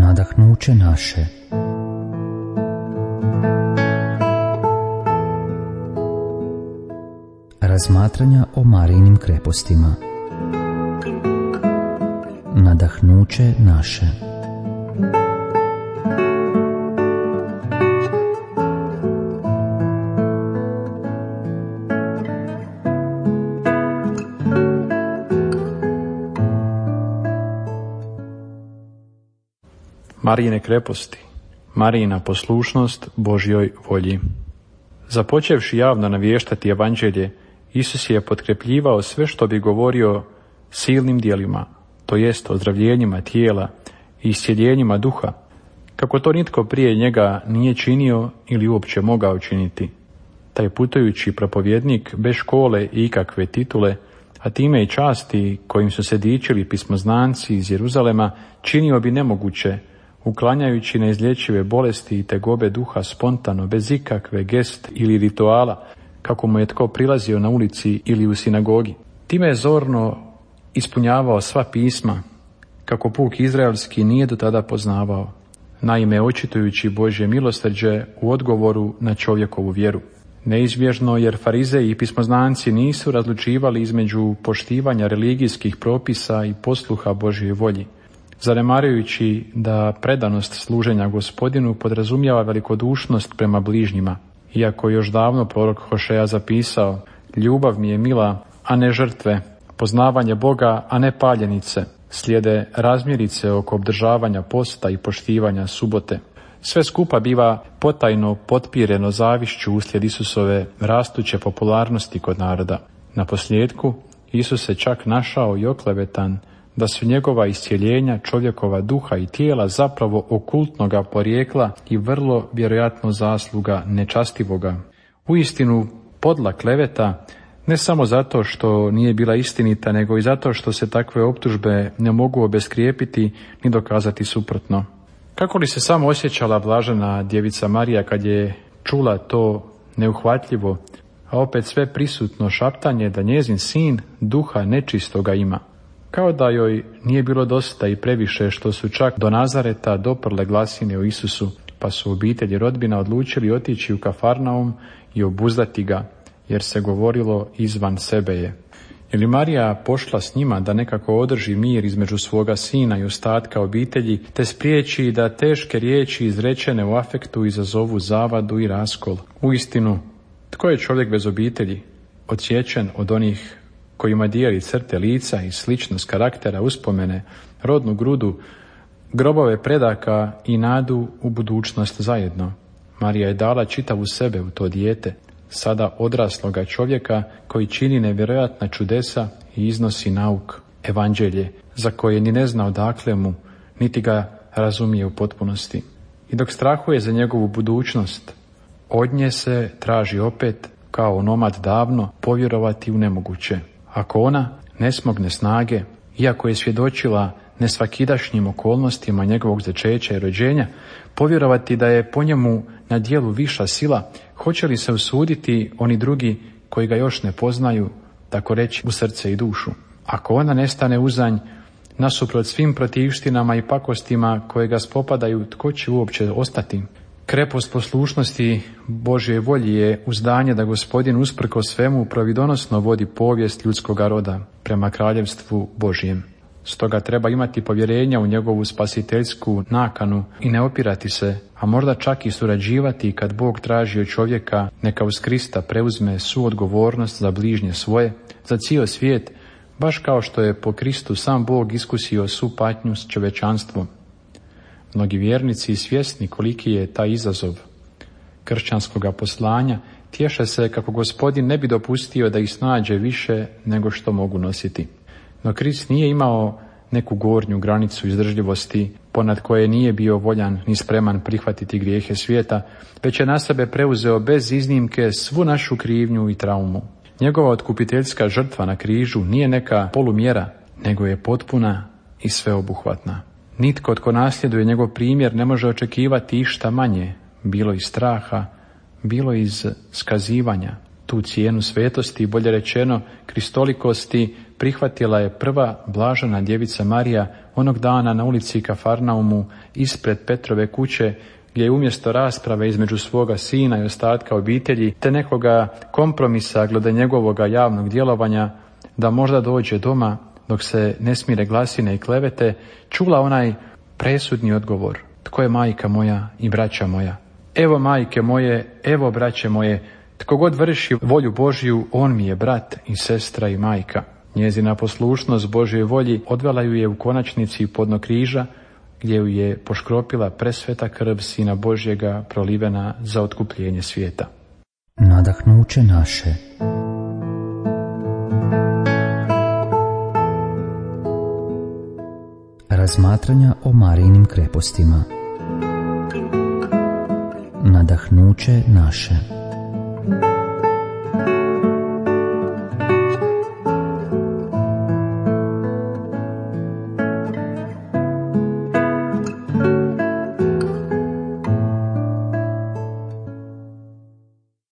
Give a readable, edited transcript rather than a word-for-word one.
Nadahnuće naše. Razmatranja o Marijinim krepostima. Nadahnuće naše. Marijine kreposti, Marijina poslušnost Božjoj volji. Započevši javno naviještati evanđelje, Isus je potkrepljivao sve što bi govorio silnim djelima, to jest ozdravljenjima tijela i iscjeljenjima duha, kako to nitko prije njega nije činio ili uopće mogao činiti. Taj putujući propovjednik bez škole i ikakve titule, a time i časti kojim su se dičili pismoznanci iz Jeruzalema, činio bi nemoguće, uklanjajući neizlječive bolesti i tegobe duha spontano, bez ikakve gest ili rituala, kako mu je tko prilazio na ulici ili u sinagogi. Time je zorno ispunjavao sva pisma, kako puk izraelski nije do tada poznavao, naime očitujući Božje milosrđe u odgovoru na čovjekovu vjeru. Neizbježno, jer farizeji i pismoznanci nisu razlučivali između poštivanja religijskih propisa i posluha Božjoj volji, zanemarujući da predanost služenja Gospodinu podrazumijeva velikodušnost prema bližnjima. Iako još davno prorok Hošeja zapisao: ljubav mi je mila, a ne žrtve, poznavanje Boga, a ne paljenice, slijede razmjerice oko obdržavanja posta i poštivanja subote. Sve skupa biva potajno potpireno zavišću uslijed Isusove rastuće popularnosti kod naroda. Naposljetku, Isus se čak našao i oklevetan da su njegova iscjeljenja čovjekova duha i tijela zapravo okultnoga porijekla i vrlo vjerojatno zasluga nečastivoga. Uistinu podla kleveta, ne samo zato što nije bila istinita, nego i zato što se takve optužbe ne mogu obeskrijepiti ni dokazati suprotno. Kako li se samo osjećala blažena djevica Marija kad je čula to neuhvatljivo, a opet sve prisutno šaptanje da njezin sin duha nečistoga ima. Kao da joj nije bilo dosta i previše što su čak do Nazareta doprle glasine o Isusu, pa su obitelji rodbina odlučili otići u Kafarnaum i obuzdati ga, jer se govorilo izvan sebe je. Je li Marija pošla s njima da nekako održi mir između svoga sina i ostatka obitelji, te spriječi da teške riječi izrečene u afektu izazovu zavadu i raskol? Uistinu, tko je čovjek bez obitelji, odsječen od onih kojima dijeli crte lica i sličnost karaktera, uspomene, rodnu grudu, grobove predaka i nadu u budućnost zajedno? Marija je dala čitavu sebe u to dijete, sada odrasloga čovjeka koji čini nevjerojatna čudesa i iznosi nauk, evanđelje, za koje ni ne zna odakle mu, niti ga razumije u potpunosti. I dok strahuje za njegovu budućnost, od nje se traži opet, kao onomad davno, povjerovati u nemoguće. Ako ona ne smogne snage, iako je svjedočila nesvakidašnjim okolnostima njegovog začeća i rođenja, povjerovati da je po njemu na djelu viša sila, hoće li se usuditi oni drugi koji ga još ne poznaju, tako reći u srce i dušu? Ako ona ne stane uzanj, nasuprot svim protivštinama i pakostima koje ga spopadaju, tko će uopće ostati? Krepost poslušnosti Božje volji je uzdanje da Gospodin usprko svemu providonosno vodi povijest ljudskoga roda prema kraljevstvu Božjem. Stoga treba imati povjerenja u njegovu spasiteljsku nakanu i ne opirati se, a možda čak i surađivati kad Bog traži od čovjeka neka uz Krista preuzme suodgovornost za bližnje svoje, za cijel svijet, baš kao što je po Kristu sam Bog iskusio svu patnju s čovječanstvom. Mnogi vjernici svjesni koliki je taj izazov kršćanskoga poslanja, tješe se kako Gospodin ne bi dopustio da ih snađe više nego što mogu nositi. No Krist nije imao neku gornju granicu izdržljivosti ponad koje nije bio voljan ni spreman prihvatiti grijehe svijeta, već je na sebe preuzeo bez iznimke svu našu krivnju i traumu. Njegova otkupiteljska žrtva na križu nije neka polumjera, nego je potpuna i sveobuhvatna. Nitko tko nasljeduje njegov primjer ne može očekivati išta manje, bilo iz straha, bilo iz skazivanja. Tu cijenu svetosti, bolje rečeno kristolikosti, prihvatila je prva blažena djevica Marija onog dana na ulici Kafarnaumu ispred Petrove kuće, gdje je umjesto rasprave između svoga sina i ostatka obitelji, te nekoga kompromisa glede njegovoga javnog djelovanja, da možda dođe doma dok se ne smire glasine i klevete, čula onaj presudni odgovor: tko je majka moja i braća moja? Evo majke moje, evo braće moje, tko god vrši volju Božju, on mi je brat i sestra i majka. Njezina poslušnost Božjoj volji odvela ju je u konačnici pod dno križa, gdje ju je poškropila presveta krv Sina Božjega prolivena za otkupljenje svijeta. Nadahnuće naše. Razmatranja o Marijinim krepostima. Nadahnuće naše.